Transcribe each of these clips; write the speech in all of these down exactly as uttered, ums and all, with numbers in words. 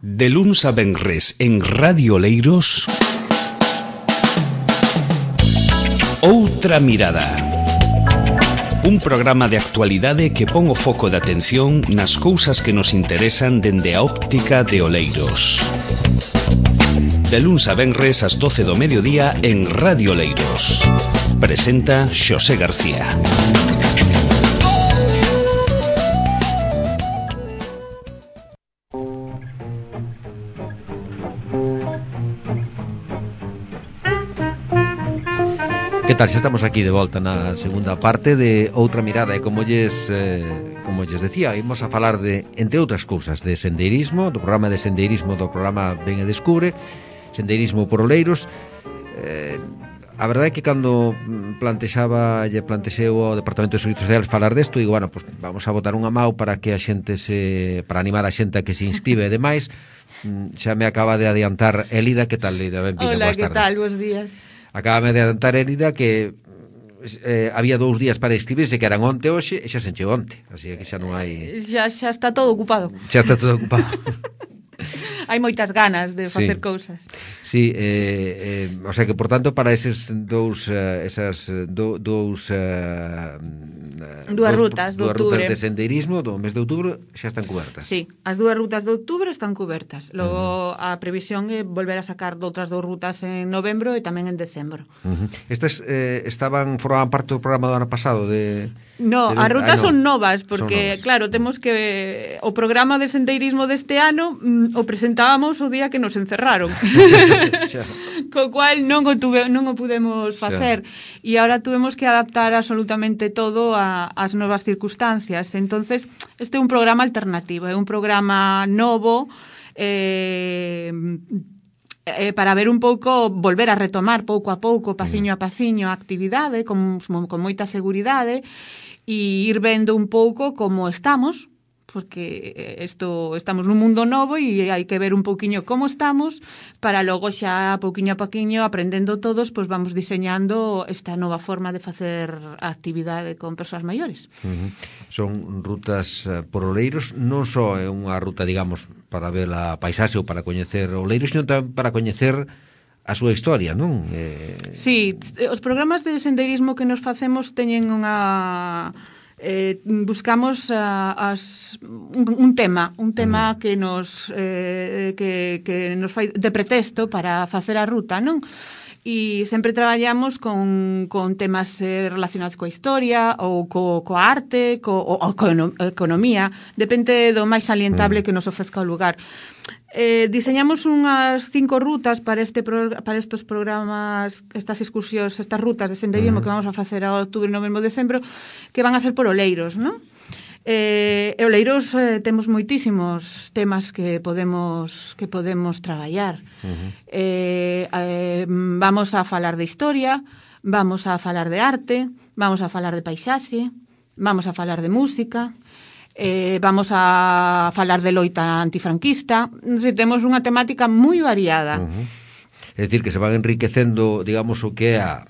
De luns a venres en Radio Oleiros, Outra Mirada. Un programa de actualidade que pon o foco de atención nas cousas que nos interesan dende a óptica de Oleiros. De luns a venres ás doce do mediodía en Radio Oleiros. Presenta Xosé García. Que tal? Xa estamos aquí de volta na segunda parte de Outra Mirada e como lles, eh, como lles decía, imos a falar de, entre outras cousas, de sendeirismo, do programa de sendeirismo do programa Ven e Descubre, sendeirismo por Oleiros. eh, A verdade é que cando plantexaba lle plantexeu ao Departamento de Servizos Sociales falar desto, digo, bueno, pues vamos a botar unha mau para que a xente se, para animar a xente a que se inscribe e demais. Xa me acaba de adiantar Elida. Que tal, Elida? Benvida, hola, boas que tardes. tal? Bos días. Acábame de adelantar, Elida, que eh, había dous días para inscribirse, que eran onte hoxe, e xa se encheu onte. Así que xa non hai... Xa, xa está todo ocupado. Xa está todo ocupado. Hai moitas ganas de facer Sí. cousas. Sí, eh, eh, o sea que, por tanto, para eses dous, uh, esas do, dous... Uh, Dúas rutas de dúas outubro. rutas de sendeirismo do mes de outubro xa están cubertas. Sí, as dúas rutas de outubro están cubertas. Logo, uh-huh. a previsión é volver a sacar doutras dous rutas en novembro e tamén en decembro. Uh-huh. Estas eh, estaban, formaban parte do programa do ano pasado de... No, de... as rutas ah, no. son novas, porque, son novas. claro, temos que... O programa de sendeirismo deste ano mm, o presentábamos o día que nos encerraron. Co cual non o, tuve, non o pudemos facer. E agora tuvemos que adaptar absolutamente todo a, as novas circunstancias. Entonces, este é un programa alternativo, é un programa novo, eh... Eh, para ver un pouco, volver a retomar pouco a pouco, pasiño a pasiño, a actividade, con, con moita seguridade, e ir vendo un pouco como estamos, porque isto, estamos nun mundo novo e hai que ver un pouquiño como estamos, para logo xa, pouquiño a pouquiño, aprendendo todos, pois vamos diseñando esta nova forma de facer a actividade con persoas maiores. Uh-huh. Son rutas uh, por Oleiros, non só é unha ruta, digamos, para ver a paisaxe ou para coñecer Oleiros, sino tamén para coñecer a súa historia, non? Eh... Sí, os programas de sendeirismo que nos facemos teñen unha... Eh, buscamos uh, as, un, un tema, un tema uh-huh. que nos eh, que, que nos fai de pretexto para facer a ruta, non? E sempre traballamos con, con temas eh, relacionados coa historia ou co, coa arte, co, ou, ou coa economía, depende do máis salientable uh-huh. que nos ofrezca o lugar. Eh, diseñamos unhas cinco rutas para este pro, para estos programas, estas excursións, estas rutas de sendeirismo uh-huh. que vamos a facer a outubro, novembro, decembro, que van a ser por Oleiros, non? Eh, e Oleiros eh, temos moitísimos temas que podemos que podemos traballar. Uh-huh. Eh, eh, vamos a falar de historia, vamos a falar de arte, vamos a falar de paisaxe, vamos a falar de música. Eh, vamos a falar de loita antifranquista. Temos unha temática moi variada. Uh-huh. É dicir, que se van enriquecendo, digamos, o que é a,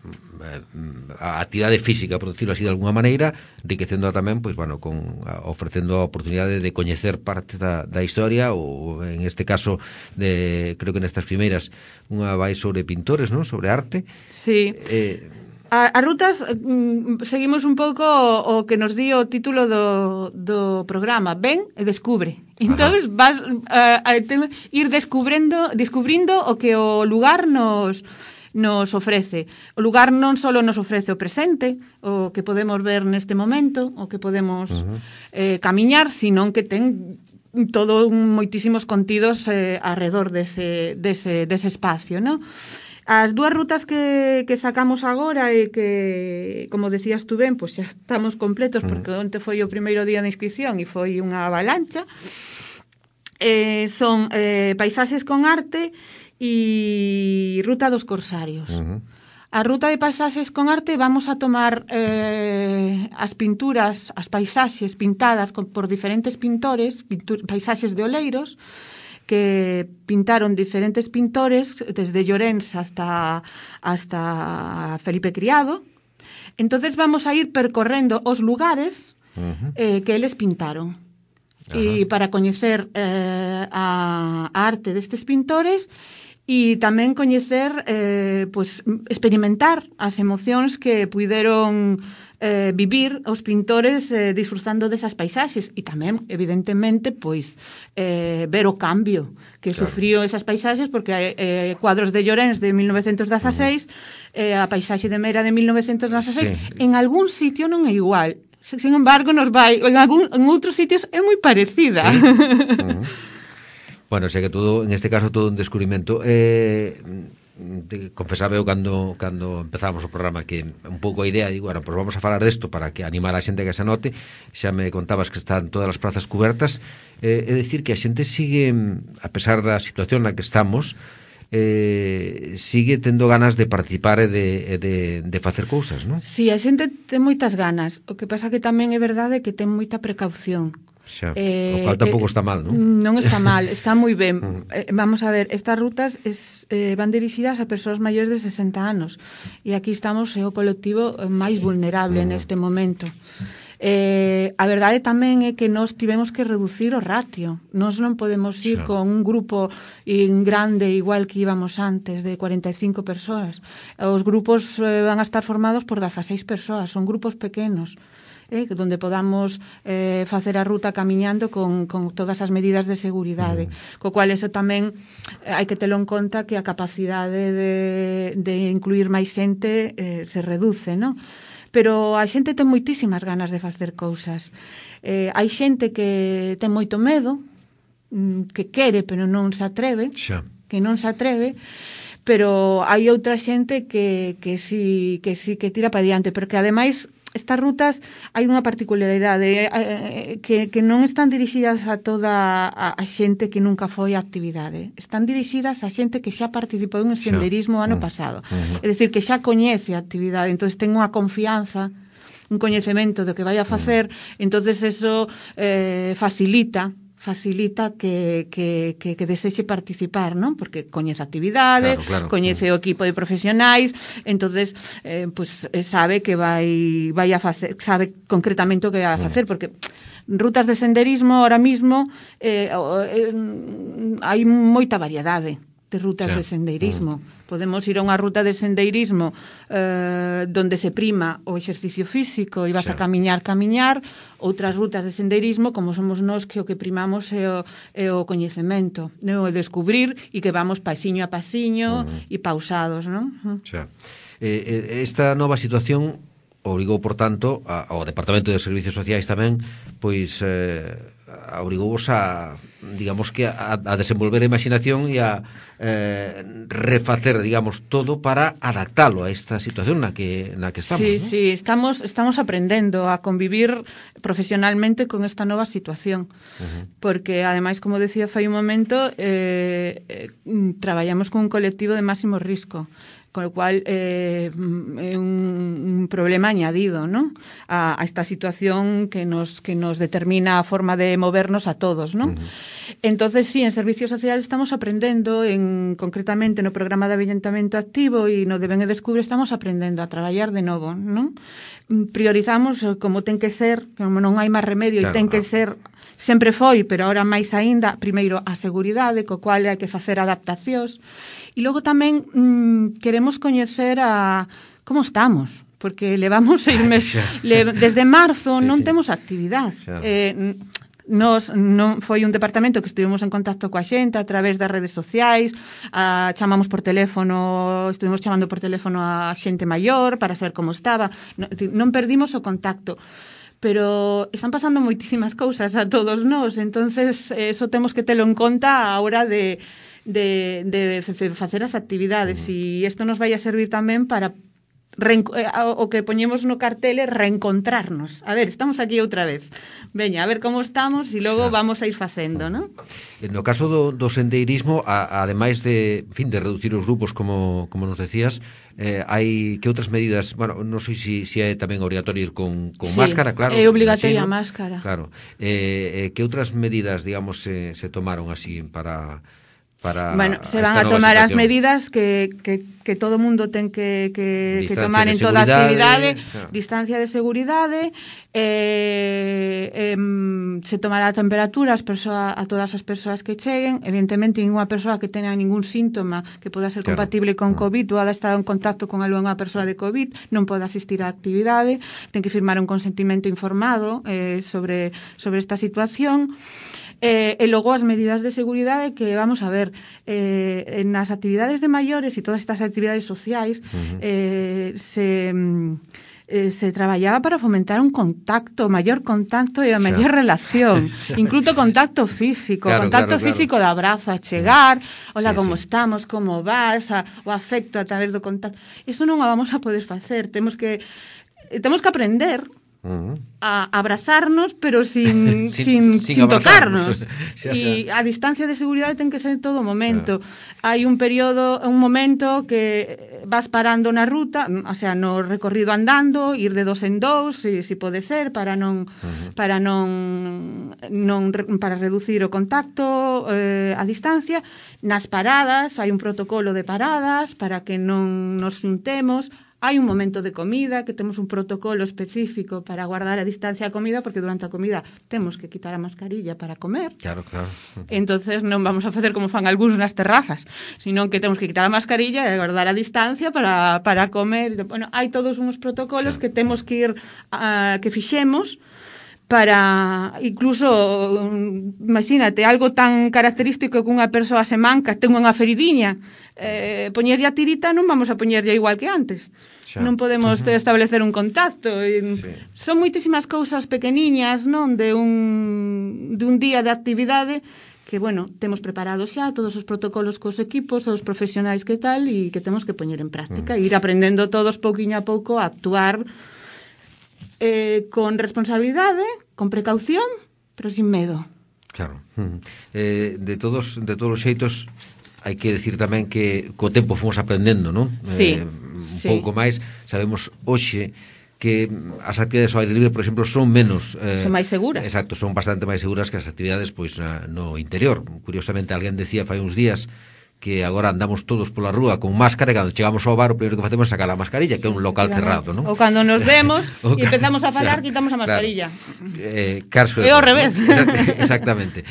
a actividade física, por decirlo así de alguna maneira, enriquecendo tamén, pois, bueno, con, a, ofrecendo a oportunidade de coñecer parte da, da historia, ou en este caso, de, creo que nestas primeiras, unha vai sobre pintores, non? Sobre arte. Sí. Eh, A, as rutas, mm, seguimos un pouco o, o que nos di o título do, do programa, Ven e Descubre. Entón, vas uh, a te, ir descubrendo, descubrindo o que o lugar nos, nos ofrece. O lugar non só nos ofrece o presente, o que podemos ver neste momento, o que podemos uh-huh. eh, camiñar, sino que ten todo moitísimos contidos eh, alrededor dese, dese, dese espacio, non? As dúas rutas que, que sacamos agora e que, como decías tú ben, pois xa estamos completos, porque onte foi o primeiro día de inscripción e foi unha avalancha, eh, son eh, paisaxes con arte e ruta dos corsarios. Uh-huh. A ruta de paisaxes con arte vamos a tomar eh, as pinturas, as paisaxes pintadas con, por diferentes pintores, pintur, paisaxes de Oleiros, que pintaron diferentes pintores, desde Llorens hasta, hasta Felipe Criado. Entonces vamos a ir percorrendo os lugares uh-huh. eh, que eles pintaron. e para coñecer eh, a, a arte destes pintores e tamén coñecer, eh, pues, experimentar as emocións que puideron eh, vivir os pintores eh, disfrutando desas paisaxes e tamén, evidentemente, pois eh, ver o cambio que claro. sufriu esas paisaxes, porque eh, cuadros de Llorens de mil novecentos dezaseis, uh-huh. eh, a paisaxe de Mera de mil novecentos dezaseis, sí. en algún sitio non é igual. Sin embargo, nos vai en, algún, en outros sitios é moi parecida. Sí. Uh-huh. Bueno, sei que todo, en este caso, todo un descubrimento. Eh, confesaba eu cando, cando empezamos o programa que un pouco a idea, digo, bueno, pues vamos a falar desto para que animar a xente que se anote. Xa me contabas que están todas as plazas cubertas. Eh, é dicir que a xente sigue, a pesar da situación na que estamos, eh, sigue tendo ganas de participar e de, de, de facer cousas, non? Si, sí, a xente ten moitas ganas. O que pasa que tamén é verdade que ten moita precaución. Xa, eh, o cual tampouco eh, está mal, non? Non está mal, está moi ben. eh, vamos a ver, estas rutas es, eh, van dirixidas a persoas maiores de sesenta anos e aquí estamos é o colectivo máis vulnerable uh-huh. neste momento. Eh, a verdade tamén é que nós tivemos que reducir o ratio. Nós non podemos ir xa. Con un grupo in grande igual que íbamos antes de cuarenta e cinco persoas. Os grupos eh, van a estar formados por dezaseis persoas, son grupos pequenos. Eh, donde podamos eh, facer a ruta camiñando con, con todas as medidas de seguridade, mm. co cual eso tamén eh, hai que telo en conta que a capacidade de, de incluir máis xente eh, se reduce, non? Pero a xente ten moitísimas ganas de facer cousas. Eh, hai xente que ten moito medo, que quere pero non se atreve, xa. que non se atreve, pero hai outra xente que, que sí que sí que tira para diante, porque ademais estas rutas hai unha particularidade eh, que, que non están dirixidas a toda a, a xente que nunca foi a actividade. Están dirixidas a xente que xa participou en senderismo o ano pasado. Uh-huh. É dicir, que xa coñece a actividade, entón ten unha confianza, un coñecemento do que vai a facer, uh-huh. entonces eso eh, facilita facilita que, que, que, que desexe participar, non? Porque coñece a actividade, claro, claro, coñece claro. o equipo de profesionais, entonces eh, pues, sabe que vai, vai a facer, sabe concretamente o que vai a facer, porque rutas de senderismo ahora mismo eh, eh, hai moita variedade de rutas sí. de sendeirismo. Mm. Podemos ir a unha ruta de sendeirismo eh, donde se prima o exercicio físico e vas sí. a camiñar, camiñar. Outras rutas de sendeirismo, como somos nós, que o que primamos é o, é o coñecemento, é o descubrir e que vamos pasiño a pasiño mm. e pausados, non? Sí. Eh, esta nova situación obrigou, por tanto, a, ao Departamento de Servicios Sociais tamén, pois... Eh, obrigouvos a, digamos que a, a desenvolver a imaginación e a eh, refacer, digamos, todo para adaptalo a esta situación na que na que estamos. Sí, ¿no? sí, estamos estamos aprendendo a convivir profesionalmente con esta nova situación. Uh-huh. Porque ademais, como decía fai un momento, eh, eh, traballamos con un colectivo de máximo risco, con lo cual eh, é un, un problema añadido, ¿no? A, a esta situación que nos que nos determina a forma de movernos a todos, ¿no? Uh-huh. Entonces, sí, en servicios sociales estamos aprendendo, en concretamente no programa de avellentamento activo e no de Ben e Descubre estamos aprendendo a traballar de novo, ¿no? Priorizamos como ten que ser, como non hai máis remedio, claro, e ten que ser, sempre foi, pero ahora máis aínda, primeiro a seguridade, co cual hai que facer adaptacións. E logo tamén mmm, queremos coñecer a como estamos, porque levamos seis meses, le, desde marzo sí, non sí. temos actividade. Eh, nos non foi un departamento que estivemos en contacto coa xente a través das redes sociais, a, chamamos por teléfono, estuvimos chamando por teléfono a xente maior para saber como estaba, non, non perdimos o contacto. Pero están pasando moitísimas cousas a todos nós, entonces eso temos que telo en conta a hora de de, de facer as actividades, e isto nos vai a servir tamén para o que poñemos no cartel é reencontrarnos. A ver, estamos aquí outra vez. Veña, a ver como estamos e logo xa. Vamos a ir facendo, non? No caso do, do sendeirismo, a, ademais de, en fin, de reducir os grupos, como, como nos decías, eh, hai que outras medidas, bueno, non sei se si, si é tamén obrigatorio ir con, con sí, máscara, claro. É obligatoria a máscara. Claro. Eh, eh, que outras medidas, digamos, se, se tomaron así para... para bueno, se van a tomar as medidas que, que, que todo mundo ten que, que, que tomar en toda actividade, claro. Distancia de seguridade, eh, eh, se tomará a temperatura as persoa, a todas as persoas que cheguen, evidentemente ninguna persoa que tenga ningún síntoma que poda ser claro. compatible con COVID ou hada estado en contacto con algunha persoa de COVID non pode asistir á actividade, ten que firmar un consentimento informado eh, sobre, sobre esta situación. Eh, e logo as medidas de seguridade que, vamos a ver, eh, nas actividades de maiores e todas estas actividades sociais uh-huh. eh, se, eh, se traballaba para fomentar un contacto, maior contacto e a maior relación, incluso contacto físico, claro, contacto claro, físico claro. de abrazo a chegar, hola, sí, como sí. estamos, como vas, a, o afecto a través do contacto. Iso non o vamos a poder facer, temos que temos que aprender Uh-huh. a abrazarnos, pero sin, sin, sin, sin tocarnos. E a distancia de seguridade ten que ser en todo momento. Claro. Hai un período, un momento que vas parando na ruta, o sea, no recorrido andando, ir de dos en dos, si, si pode ser, para non uh-huh. para non, non para reducir o contacto, eh, a distancia. Nas paradas, hai un protocolo de paradas para que non nos xuntemos. Hai un momento de comida que temos un protocolo específico para guardar a distancia a comida, porque durante a comida temos que quitar a mascarilla para comer. Claro, claro. Entonces non vamos a facer como fan algúns nas terrazas, sino que temos que quitar a mascarilla e guardar a distancia para, para comer. Bueno, hai todos uns protocolos sí. que temos que ir, uh, que fixemos, para, incluso, imagínate, algo tan característico que unha persoa se manca, ten unha feridiña, eh, poñerlle a tirita non vamos a poñerlle igual que antes. Xa. Non podemos uh-huh. establecer un contacto. E, sí. Son moitísimas cousas pequeniñas, non, de un, de un día de actividade que, bueno, temos preparados xa todos os protocolos cos equipos, os profesionais que tal, e que temos que poñer en práctica, uh-huh. e ir aprendendo todos pouquiño a pouco a actuar Eh, con responsabilidade, con precaución, pero sin medo. Claro. Eh, de todos de todos os xeitos, hai que decir tamén que co tempo fomos aprendendo, non? Sí, eh, un sí. pouco máis, sabemos hoxe que as actividades ao aire libre, por exemplo, son menos... Eh, son máis seguras. Exacto, son bastante máis seguras que as actividades pois na, no interior. Curiosamente, alguén decía fai uns días que agora andamos todos pola rúa con máscara e cando chegamos ao bar o primeiro que facemos é sacar a mascarilla, que é un local cerrado, non? Ou cando nos vemos e empezamos a falar, claro, quitamos a mascarilla. Claro. Eh, caso é ao revés. ¿No? Exactamente.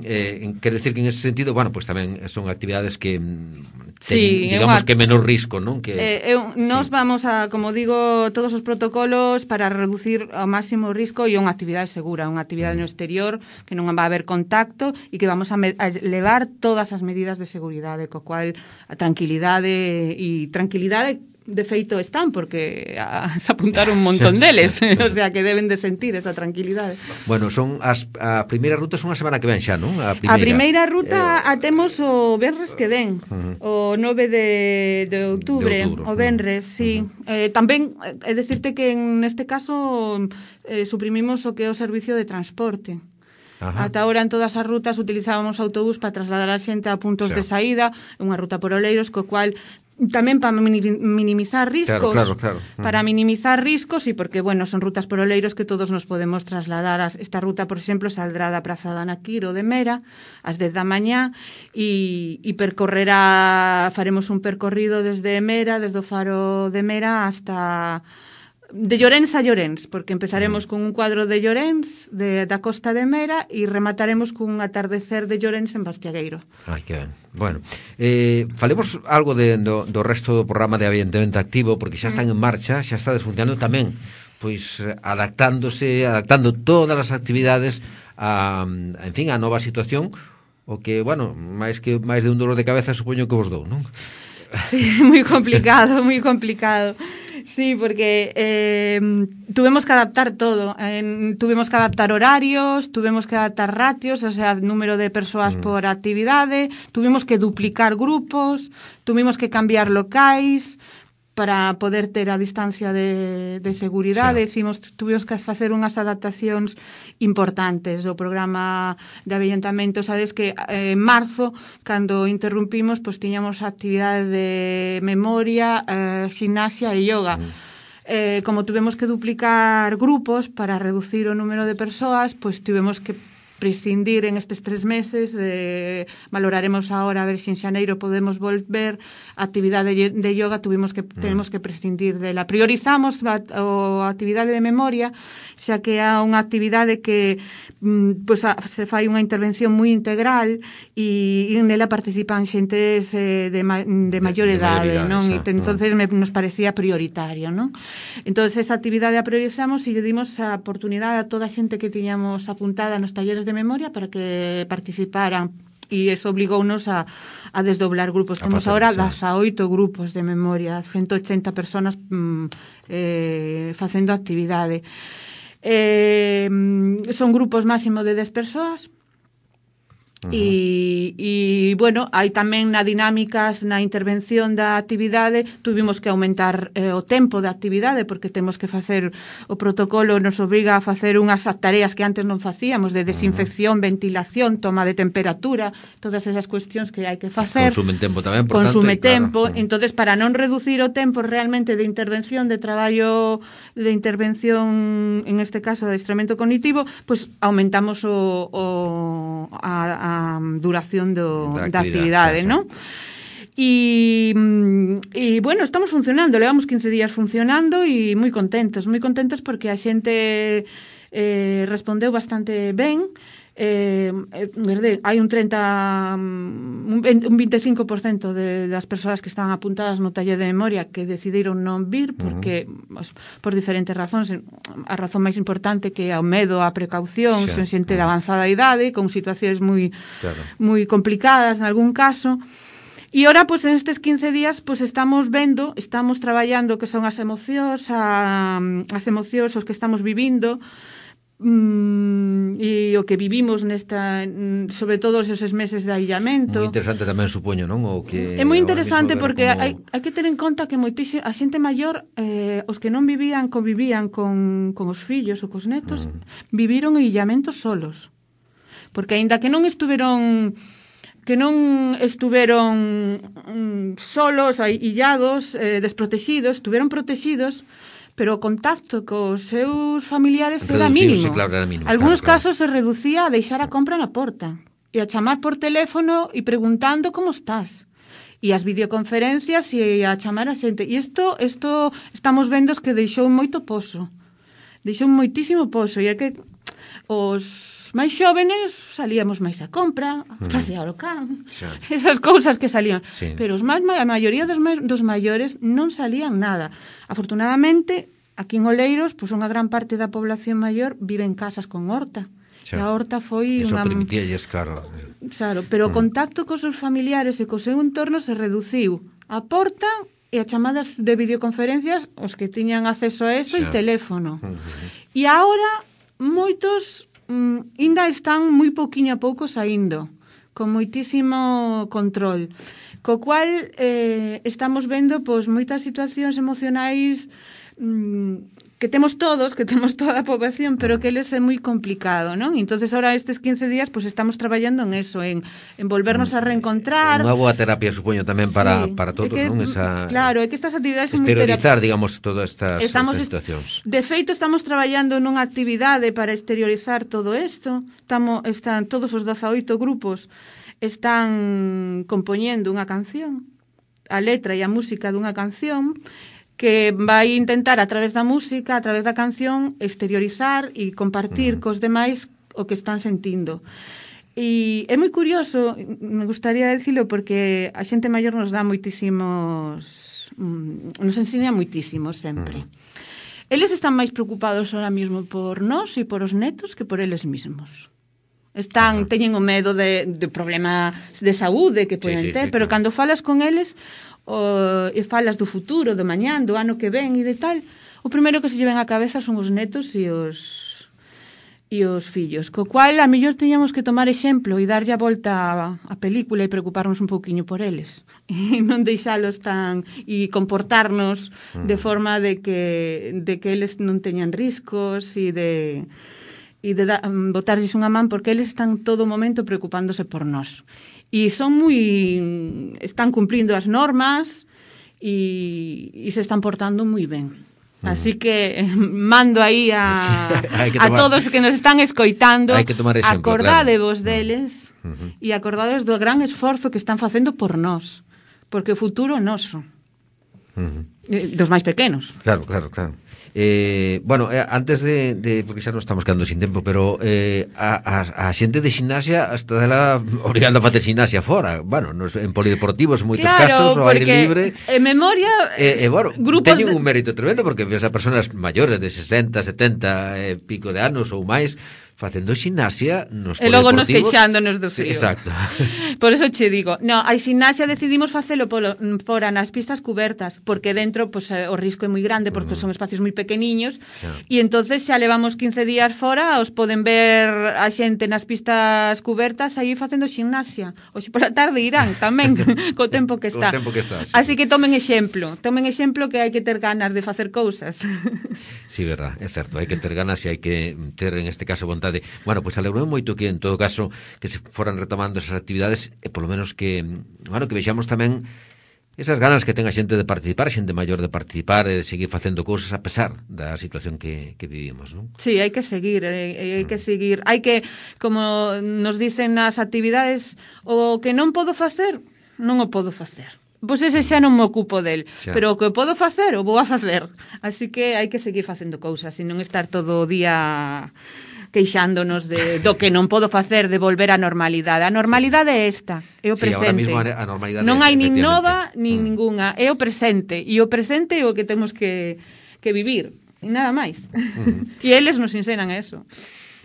Eh, quer decir que en ese sentido, bueno, pues tamén son actividades que ten, sí, digamos una, que menor risco, non? Que eh, eh, nos sí. vamos a, como digo, todos os protocolos para reducir ao máximo risco e unha actividade segura, unha actividade mm. no exterior que non va a haber contacto e que vamos a, me, a levar todas as medidas de seguridade, co cual a tranquilidade e tranquilidade de feito están, porque a, se apuntaron un montón deles, o sea que deben de sentir esa tranquilidade. Bueno, son as a primeira ruta son a semana que ven xa, non? A primeira, a primeira ruta eh, a temos o venres que ven, uh-huh. o nove de, de outubro, de outubro, o venres, uh-huh. sí. Uh-huh. Eh, tamén é decirte que en este caso eh, suprimimos o que é o servicio de transporte. Ajá. Ata ahora en todas as rutas utilizábamos autobús para trasladar a xente a puntos sí. de saída, unha ruta por Oleiros, co cual tamén para minimizar riscos, claro, claro, claro. para minimizar riscos e porque, bueno, son rutas por Oleiros que todos nos podemos trasladar. Esta ruta, por exemplo, saldrá da Praza de Anaquiro de Mera ás dez da mañá e, e percorrerá, faremos un percorrido desde Mera, desde o faro de Mera hasta... de Llorens a Llorens, porque empezaremos con un cuadro de Llorens, de, da Costa de Mera, e remataremos con un atardecer de Llorens en Bastiagueiro. Ai, que ben. Bueno, eh, falemos algo de, do, do resto do programa de Ambientamento Activo, porque xa están en marcha, xa está desfuncionando tamén, pois adaptándose, adaptando todas as actividades a, en fin, a nova situación, o que, bueno, máis que máis de un dolor de cabeza supoño que vos dou, non? Sí, moi complicado, moi complicado. Sí, porque eh, tuvimos que adaptar todo. Eh, tuvimos que adaptar horarios, tuvimos que adaptar ratios, o sea, número de persoas mm. por actividade, tuvimos que duplicar grupos, tuvimos que cambiar locais para poder ter a distancia de, de seguridade. Sí. Decimos, tuvimos que facer unhas adaptacións importantes do programa de avellentamento. Sabes que eh, en marzo, cando interrumpimos, pois tiñamos actividade de memoria, eh, gimnasia e yoga. Mm. Eh, como tuvemos que duplicar grupos para reducir o número de persoas, pois tuvemos que prescindir en estes tres meses, eh, valoraremos ahora a ver se en xaneiro podemos volver a actividade de yoga, tuvimos que, tenemos que prescindir dela. Priorizamos a, a actividade de memoria, xa que é unha actividade que mm, pues, a, se fai unha intervención moi integral e, e nela participan xentes eh, de, ma, de maior idade, non? E entonces me, nos parecía prioritario, non? Entonces esta actividade a priorizamos e lle dimos a oportunidade a toda a xente que tiñamos apuntada nos talleres de memoria para que participaran e eso obligounos a, a desdoblar grupos. A Temos agora dezaoito grupos de memoria, ciento ochenta personas mm, eh, facendo actividade. Eh, son grupos máximo de dez persoas. E, e, bueno, hai tamén na dinámicas, na intervención da actividade, tuvimos que aumentar eh, o tempo da actividade, porque temos que facer, o protocolo nos obriga a facer unhas tareas que antes non facíamos, de desinfección, ventilación, toma de temperatura, todas esas cuestións que hai que facer. Consumen tempo tamén, por Consume tanto, tempo, claro. Entonces para non reducir o tempo realmente de intervención, de traballo, de intervención, en este caso, de adestramento cognitivo, pues aumentamos o, o a, a a duración do, da actividade, sí, sí. non? E, e, bueno, estamos funcionando, levamos quince días funcionando e moi contentos, moi contentos porque a xente eh, respondeu bastante ben. Eh, eh, hai un treinta un veinticinco por ciento de, das persoas que están apuntadas no taller de memoria que decidiron non vir porque uh-huh. pues, por diferentes razóns. A razón máis importante que é o medo, a precaución, sí. son xente uh-huh. de avanzada idade con situacións moi claro. moi complicadas en algún caso. E ora, pues, en estes quince días, pues, estamos vendo, estamos traballando que son as emocións, a, as emocións os que estamos vivindo, Mm, e o que vivimos nesta, sobre todo esos meses de aillamento. Moi interesante tamén, supoño, non? O que é moi interesante porque como... hai, hai que ter en conta que moitísima, a xente maior, eh, os que non vivían, convivían con, con os fillos ou cos netos, mm. viviron aillamento solos. Porque aínda que non estuveron que non estuveron mm, solos, illados, eh, desprotegidos, estuveron protegidos, pero o contacto cos seus familiares era mínimo. Sí, claro, era mínimo. Algunos claro, casos claro. se reducía a deixar a compra na porta e a chamar por teléfono e preguntando como estás. E as videoconferencias e a chamar a xente. E isto, isto estamos vendo que deixou moito pozo. Deixou moitísimo pozo. E é que os máis xóvenes salíamos máis a compra, a pasear o can, sí. esas cousas que salían. Sí. Pero os máis, a maioría dos, dos maiores non salían nada. Afortunadamente, aquí en Oleiros, pues, unha gran parte da población maior vive en casas con horta. Sí. E a horta foi Eso unha... permitíalles, claro. Claro, pero o contacto cos seus familiares e co seu entorno se reduciu. A porta e a chamadas de videoconferencias, os que tiñan acceso a eso, sí. e teléfono. Uh-huh. E agora, moitos... Mm, ainda están moi pouquiño a pouco saindo, con moitísimo control, co cual eh, estamos vendo pois, moitas situacións emocionais mm, que temos todos, que temos toda a poboación, pero que eles é moi complicado, non? Entonces ahora estes quince días pues, estamos traballando en eso, en, en volvernos a reencontrar. Unha boa terapia, supoño, tamén para, sí, para todos, que, non? Esa... Claro, é que estas actividades son moi exteriorizar, digamos, todas estas, estamos, estas situacións. De feito, estamos traballando nunha actividade para exteriorizar todo isto. Estamos, están todos os dezaoito grupos están compoñendo unha canción, a letra e a música dunha canción, que vai intentar a través da música, a través da canción, exteriorizar e compartir uh-huh. cos demais o que están sentindo. E é moi curioso, me gustaría decirlo, porque a xente maior nos dá moitísimos, nos ensina moitísimo sempre. Uh-huh. Eles están máis preocupados ahora mesmo por nós e por os netos que por eles mesmos. Están, uh-huh. teñen o medo de, de problemas de saúde que poden sí, sí, ter, sí, pero claro. Cando falas con eles o, e falas do futuro, do mañán, do ano que ven e de tal, o primeiro que se lleven á cabeza son os netos e os e os fillos, co cual a mellor teñamos que tomar exemplo e darlle a volta a, a película e preocuparnos un pouquiño por eles e non deixalos tan e comportarnos mm. de forma de que de que eles non teñan riscos e de e de da, botarlles unha man porque eles están todo o momento preocupándose por nós. E son moi... están cumplindo as normas e, e se están portando moi ben. Así que mando aí a, sí, a todos que nos están escoitando, hai que tomar exemplo, acordádevos claro. deles uh-huh. e acordádevos do gran esforzo que están facendo por nós, porque o futuro é noso. Uh-huh. Dos máis pequenos. Claro, claro, claro. Eh, bueno, eh, antes de, de porque xa non estamos quedando sin tempo, pero eh, a, a, a xente de ximnasia hasta dela obrigando a facer ximnasia fora, bueno, nos, en polideportivos en moitos claro, casos, ao aire libre. En memoria, eh, eh, bueno, de... teñen un mérito tremendo porque ves a persoas maiores de sesenta, setenta e eh, pico de anos ou máis facendo ximnasia nos e logo nos polideportivos. queixándonos do frío. Exacto. Por eso che digo, no, a ximnasia decidimos facelo polo, fora nas pistas cubertas, porque dentro pues, o risco é moi grande, porque uh-huh. son espacios moi pequeniños, yeah. e entonces xa levamos quince días fora, os poden ver a xente nas pistas cubertas aí facendo ximnasia. Hoxe pola tarde irán tamén, co tempo que está. Co tempo que está, sí. Así que tomen exemplo, tomen exemplo que hai que ter ganas de facer cousas. Sí, verdad, é certo, hai que ter ganas e hai que ter, en este caso, vontade. Bueno, pois pues, alegrou moito que, en todo caso, que se foran retomando esas actividades e, polo menos, que, bueno, que vexamos tamén esas ganas que ten a xente de participar, a xente maior de participar e de seguir facendo cousas a pesar da situación que, que vivimos, non? Sí, hai que seguir, hai, hai que seguir. Hai que, como nos dicen nas actividades, o que non podo facer, non o podo facer. Pois ese xa non me ocupo del, xa. Pero o que podo facer, o vou a facer. Así que hai que seguir facendo cousas e non estar todo o día queixándonos de, do que non podo facer, de volver á normalidade. A normalidade é esta, é o sí, presente. Ahora mismo a normalidade non hai nin nova, nin mm. ningunha. É o presente. E o presente é o que temos que, que vivir. E nada máis. Mm-hmm. E eles nos ensenan eso.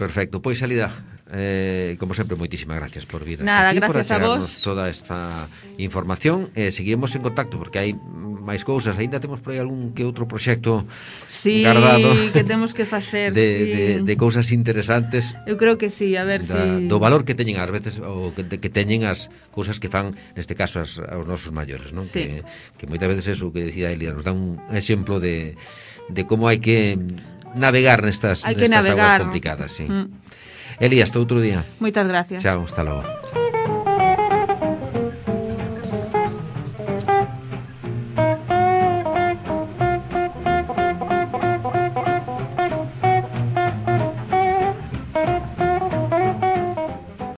Perfecto. Pois, Alida, eh, como sempre, moitísimas gracias por vir nada, aquí, gracias por achegarnos a vos. toda esta información. Eh, seguimos en contacto, porque hai máis cousas. Ainda temos por aí algún que outro proxecto sí, guardado que temos que facer de, sí. de, de cousas interesantes. Eu creo que sí, a ver da, si do valor que teñen ás veces, ou que, que teñen as cousas que fan, neste caso, as, aos nosos maiores, non? Sí. Que, que moitas veces eso que decía Elia nos dá un exemplo de, de como hai que navegar nestas, hai que nestas navegar, aguas complicadas, sí. Mm. Elías, hasta outro día. Moitas gracias. Chao, hasta logo.